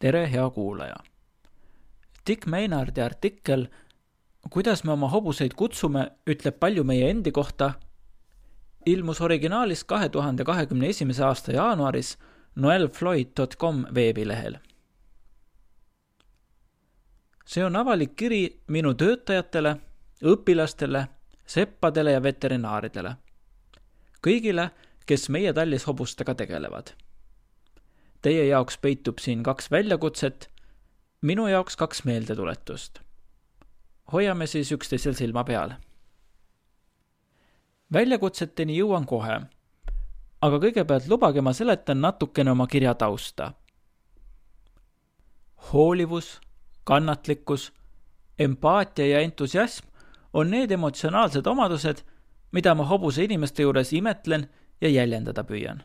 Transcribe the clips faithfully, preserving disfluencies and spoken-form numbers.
Tere, hea kuulaja! Dick Maynardi artikkel Kuidas me oma hobuseid kutsume, ütleb palju meie endi kohta, ilmus originaalis kahe tuhande kahekümne esimese aasta jaanuaris noel floyd dot com veebilehel. See on avalik kiri minu töötajatele, õpilastele, seppadele ja veterinaaridele. Kõigile, kes meie tallis hobustega tegelevad. Teie jaoks peitub siin kaks väljakutset, minu jaoks kaks meeldetuletust. Hoiame siis üksteisel silma peal. Väljakutseteni jõuan kohe, aga kõigepealt lubage ma seletan natukene oma kirja tausta. Hoolivus, kannatlikkus, empaatia ja entusiasm on need emotsionaalsed omadused, mida ma hobuse inimeste juures imetlen ja jäljendada püüan.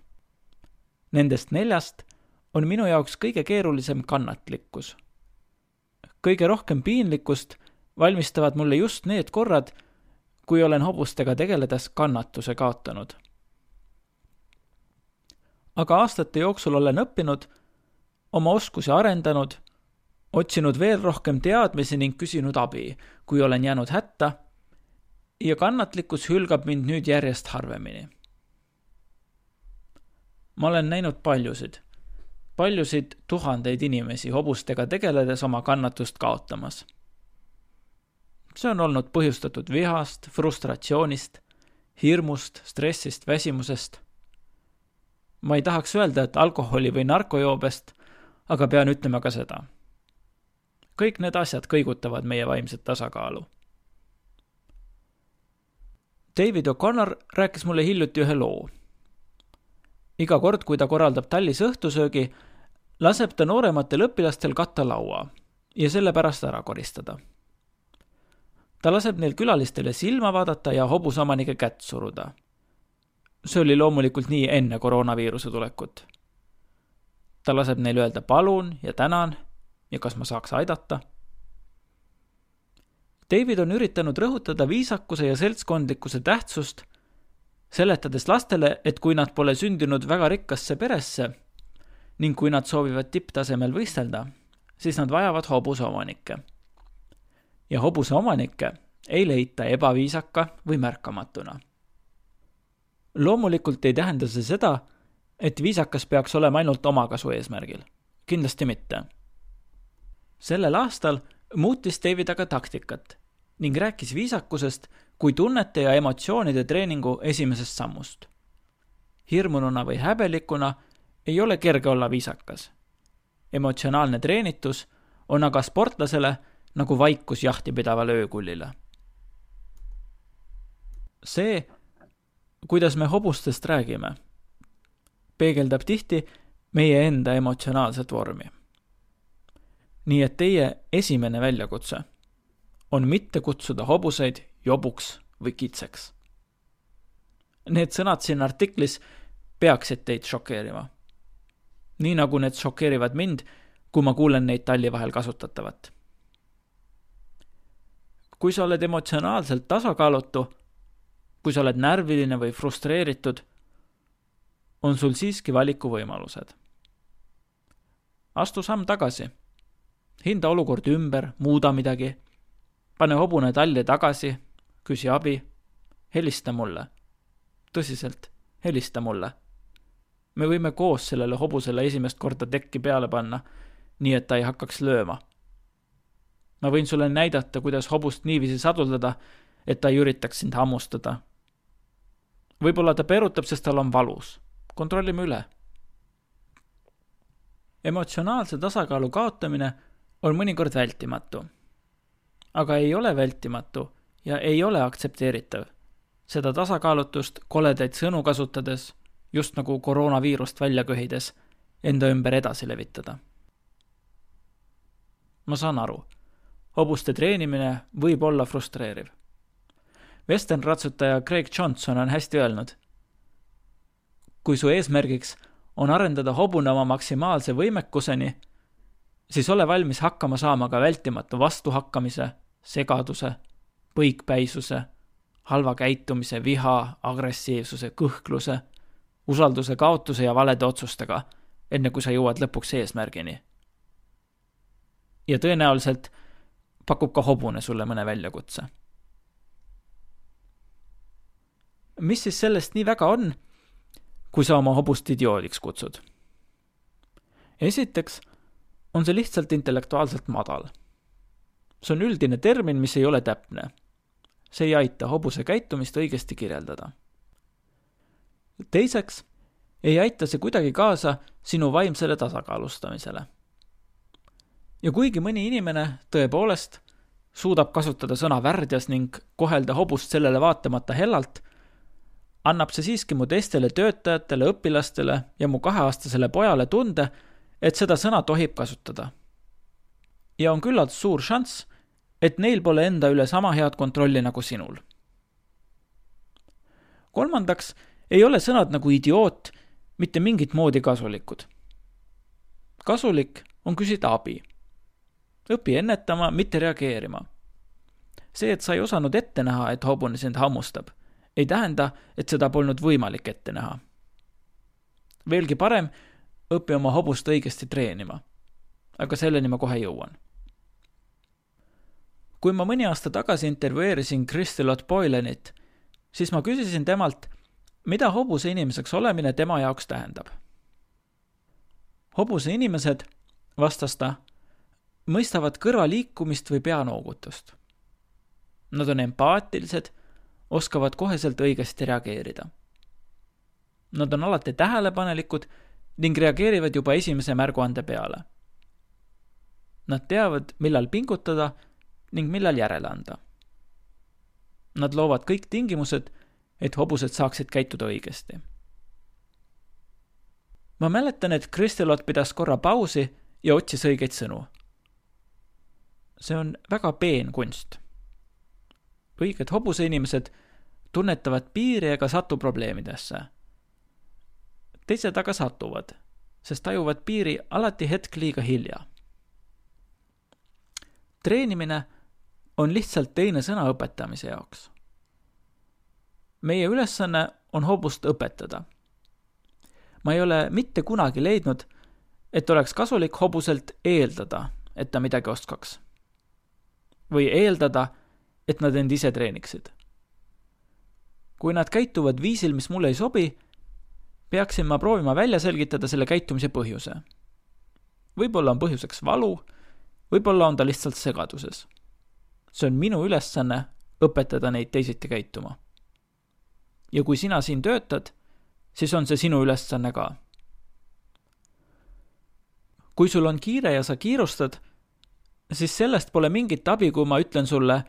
Nendest neljast on minu jaoks kõige keerulisem kannatlikkus. Kõige rohkem piinlikkust valmistavad mulle just need korrad, kui olen hobustega tegeledes kannatuse kaotanud. Aga aastate jooksul olen õppinud, oma oskusi arendanud, otsinud veel rohkem teadmisi ning küsinud abi, kui olen jäänud hätta, ja kannatlikkus hülgab mind nüüd järjest harvemini. Ma olen näinud paljusid, paljusid tuhandeid inimesi hobustega tegeledes oma kannatust kaotamas. See on olnud põhjustatud vihast, frustratsioonist, hirmust, stressist, väsimusest. Ma ei tahaks öelda, et alkoholi või narkojoobest, aga pean ütlema ka seda. Kõik need asjad kõigutavad meie vaimset tasakaalu. David O'Connor rääkis mulle hiljuti ühe loo. Iga kord, kui ta korraldab tallis õhtusöögi, laseb ta noorematel õpilastel katta laua ja selle pärast ära koristada. Ta laseb neil külalistele silma vaadata ja hobusomanike kätt suruda. See oli loomulikult nii enne koroonaviiruse tulekut. Ta laseb neil öelda palun ja tänan ja kas ma saaks aidata. David on üritanud rõhutada viisakuse ja seltskondlikkuse tähtsust, seletades lastele, et kui nad pole sündinud väga rikkasse peresse ning kui nad soovivad tipptasemel võistelda, siis nad vajavad hobuse omanikke. Ja hobuse omanikke ei leita ebaviisaka või märkamatuna. Loomulikult ei tähenda see seda, et viisakas peaks olema ainult omakasu eesmärgil. Kindlasti mitte. Sellel aastal muutis David aga taktikat ning rääkis viisakusest kui tunnete ja emotsioonide treeningu esimesest sammust. Hirmununa või häbelikuna ei ole kerge olla viisakas. Emotsionaalne treenitus on aga sportlasele nagu vaikus jahti pidavale öökullile. See, kuidas me hobustest räägime, peegeldab tihti meie enda emotsionaalset vormi. Nii et teie esimene väljakutse on mitte kutsuda hobuseid jobuks või kitseks. Need sõnad siin artiklis peaksid teid šokeerima. Nii nagu need šokeerivad mind, kui ma kuulen neid talli vahel kasutatavat. Kui sa oled emotsionaalselt tasakaalutu, kui sa oled närviline või frustreeritud, on sul siiski valikuvõimalused. Astu samm tagasi. Hinda olukord ümber, muuda midagi. Pane hobune talli tagasi, küsi abi. Helista mulle. Tõsiselt, helista mulle. Me võime koos sellele hobusele esimest korda tekki peale panna, nii et ta ei hakkaks lööma. Ma võin sulle näidata, kuidas hobust niiviisi saduldada, et ta ei üritaks sind hammustada. Võib-olla ta perutab, sest tal on valus. Kontrollime üle. Emotsionaalse tasakaalu kaotamine on mõnikord vältimatu. Aga ei ole vältimatu ja ei ole aktsepteeritav. Seda tasakaalutust koledaid sõnu kasutades, just nagu koroonaviirust välja köhides, enda ümber edasi levitada. Ma saan aru. Hobuste treenimine võib olla frustreeriv. Western-ratsutaja Craig Johnson on hästi öelnud. Kui su eesmärgiks on arendada hobune oma maksimaalse võimekuseni, siis ole valmis hakkama saama ka vältimatu vastuhakkamise, segaduse, põikpäisuse, halva käitumise, viha, agressiivsuse, kõhkluse, usalduse kaotuse ja valede otsustega, enne kui sa jõuad lõpuks eesmärgini. ja tõenäoliselt pakub ka hobune sulle mõne väljakutse. Mis siis sellest nii väga on, kui sa oma hobust idioodiks kutsud? Esiteks on see lihtsalt intellektuaalselt madal. See on üldine termin, mis ei ole täpne. See ei aita hobuse käitumist õigesti kirjeldada. Teiseks ei aita see kuidagi kaasa sinu vaimsele tasakaalustamisele. Ja kuigi mõni inimene tõepoolest suudab kasutada sõna värdjas ning kohelda hobust sellele vaatamata hellalt, annab see siiski mu teistele töötajatele, õpilastele ja mu kaheaastasele pojale tunde, et seda sõna tohib kasutada. Ja on küllalt suur šanss, et neil pole enda üle sama head kontrolli nagu sinul. Kolmandaks ei ole sõnad nagu idioot mitte mingit moodi kasulikud. Kasulik on küsida abi. Õpi ennetama, mitte reageerima. See, et sa ei osanud ette näha, et hobune sind hammustab, ei tähenda, et seda polnud võimalik ette näha. Veelgi parem, õpi oma hobust õigesti treenima. Aga selleni ma kohe jõuan. Kui ma mõni aasta tagasi intervjueerisin Kristelot Boylanit, siis ma küsisin temalt, mida hobuse inimeseks olemine tema jaoks tähendab. Hobuse inimesed, vastas ta, mõistavad kõrva liikumist või peanoogutust. Nad on empaatilised, oskavad koheselt õigesti reageerida. Nad on alati tähelepanelikud ning reageerivad juba esimese märguande peale. Nad teavad, millal pingutada ning millal järele anda. Nad loovad kõik tingimused, et hobused saaksid käituda õigesti. Ma mäletan, et Kristelot pidas korra pausi ja otsis õigeid sõnu. See on väga peen kunst. Õiged hobuse inimesed tunnetavad piiri ega satu probleemidesse. Teised aga satuvad, sest tajuvad piiri alati hetk liiga hilja. Treenimine on lihtsalt teine sõna õpetamise jaoks. Meie ülesanne on hobust õpetada. Ma ei ole mitte kunagi leidnud, et oleks kasulik hobuselt eeldada, et ta midagi oskaks. Või eeldada, et nad end ise treeniksid. Kui nad käituvad viisil, mis mulle ei sobi, peaksin ma proovima välja selgitada selle käitumise põhjuse. Võib-olla on põhjuseks valu, võib-olla on ta lihtsalt segaduses. See on minu ülesanne õpetada neid teisiti käituma. Ja kui sina siin töötad, siis on see sinu ülesanne ka. Kui sul on kiire ja sa kiirustad, siis sellest pole mingit abi, kui ma ütlen sulle,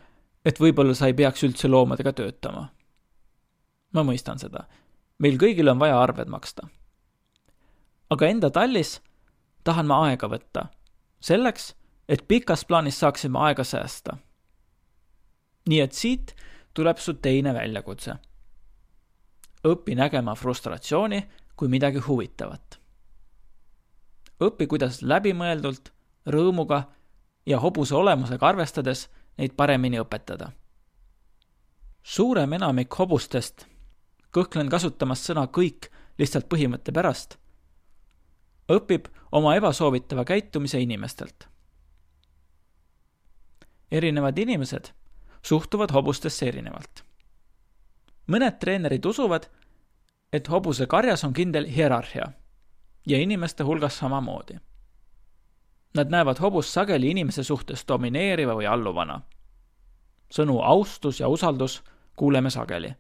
et võib-olla sa ei peaks üldse loomadega töötama. Ma mõistan seda. Meil kõigil on vaja arved maksta. Aga enda tallis tahan ma aega võtta. Selleks, et pikas plaanis saaksime aega säästa. Nii et siit tuleb su teine väljakutse. Õpi nägema frustratsiooni kui midagi huvitavat. Õpi, kuidas läbimõeldult, rõõmuga ja hobuse olemusega arvestades neid paremini õpetada. Suurem enamik hobustest, kõhklen kasutamas sõna kõik lihtsalt põhimõtte pärast, õpib oma ebasoovitava käitumise inimestelt. Erinevad inimesed suhtuvad hobustesse erinevalt. Mõned treenerid usuvad, et hobuse karjas on kindel hierarhia ja inimeste hulgas samamoodi. Nad näevad hobust sageli inimese suhtes domineeriva või alluvana. Sõnu austus ja usaldus kuuleme sageli.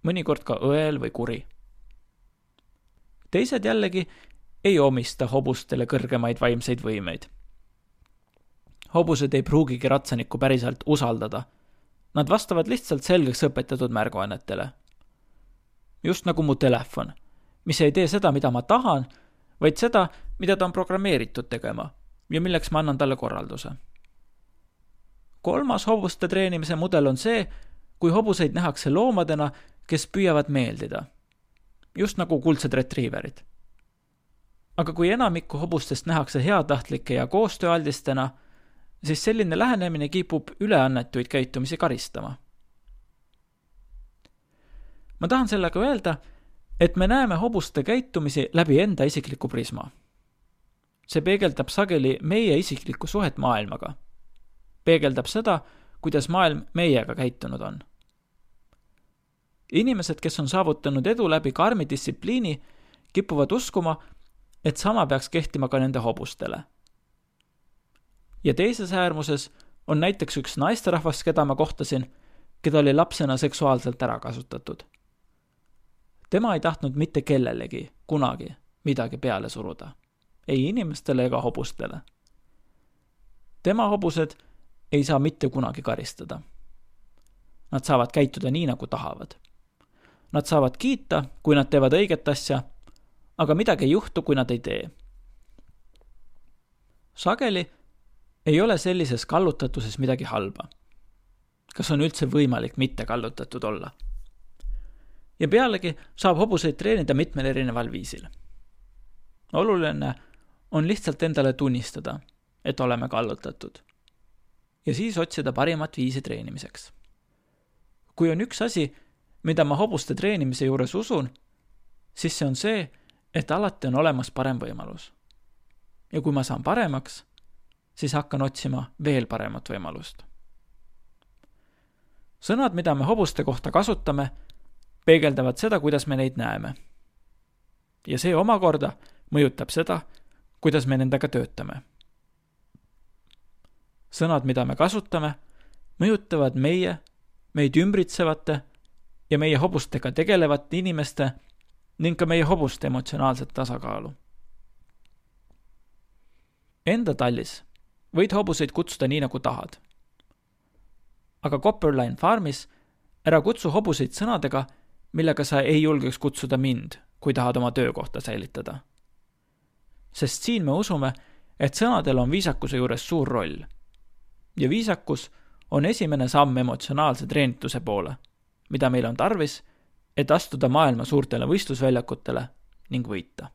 Mõnikord ka õel või kuri. Teised jällegi ei omista hobustele kõrgemaid vaimseid võimeid. Hobused ei pruugigi ratsanikku päriselt usaldada. Nad vastavad lihtsalt selgeks õpetatud märguannetele. Just nagu mu telefon, mis ei tee seda, mida ma tahan, vaid seda, mida ta on programmeeritud tegema ja milleks ma annan talle korralduse. Kolmas hobuste treenimise mudel on see, kui hobuseid nähakse loomadena, kes püüavad meeldida. Just nagu kuldsed retriiverid. Aga kui enamikku hobustest nähakse heatahtlike ja koostööaldistena, siis selline lähenemine kipub üleannetuid käitumisi karistama. Ma tahan sellega öelda, et me näeme hobuste käitumisi läbi enda isikliku prisma. see peegeldab sageli meie isiklikku suhet maailmaga. Peegeldab seda, kuidas maailm meiega käitunud on. Inimesed, kes on saavutanud edu läbi karmi distsipliini, kipuvad uskuma, et sama peaks kehtima ka nende hobustele. Ja teises äärmuses on näiteks üks naisterahvas, keda ma kohtasin, keda oli lapsena seksuaalselt ära kasutatud. Tema ei tahtnud mitte kellelegi kunagi midagi peale suruda. Ei inimestele ega hobustele. Tema hobused ei saa mitte kunagi karistada. Nad saavad käituda nii, nagu tahavad. Nad saavad kiita, kui nad teevad õiget asja, aga midagi ei juhtu, kui nad ei tee. Sageli ei ole sellises kallutatuses midagi halba. Kas on üldse võimalik mitte kallutatud olla? Ja pealegi saab hobuseid treenida mitmel erineval viisil. Oluline on lihtsalt endale tunnistada, et oleme kallutatud. Ja siis otsida parimat viisi treenimiseks. Kui on üks asi, mida ma hobuste treenimise juures usun, siis see on see, et alati on olemas parem võimalus. Ja kui ma saan paremaks, siis hakkan otsima veel paremat võimalust. Sõnad, mida me hobuste kohta kasutame, peegeldavad seda, kuidas me neid näeme. Ja see omakorda mõjutab seda, kuidas me nendega töötame. Sõnad, mida me kasutame, mõjutavad meie, meid ümbritsevate ja meie hobustega tegelevate inimeste ning ka meie hobuste emotsionaalset tasakaalu. Enda tallis võid hobuseid kutsuda nii, nagu tahad. Aga Copperline Farmis ära kutsu hobuseid sõnadega, millega sa ei julgeks kutsuda mind, kui tahad oma töökohta säilitada. Sest siin me usume, et sõnadel on viisakuse juures suur roll. Ja viisakus on esimene samm emotsionaalse treenituse poole, mida meil on tarvis, et astuda maailma suurtele võistlusväljakutele ning võita.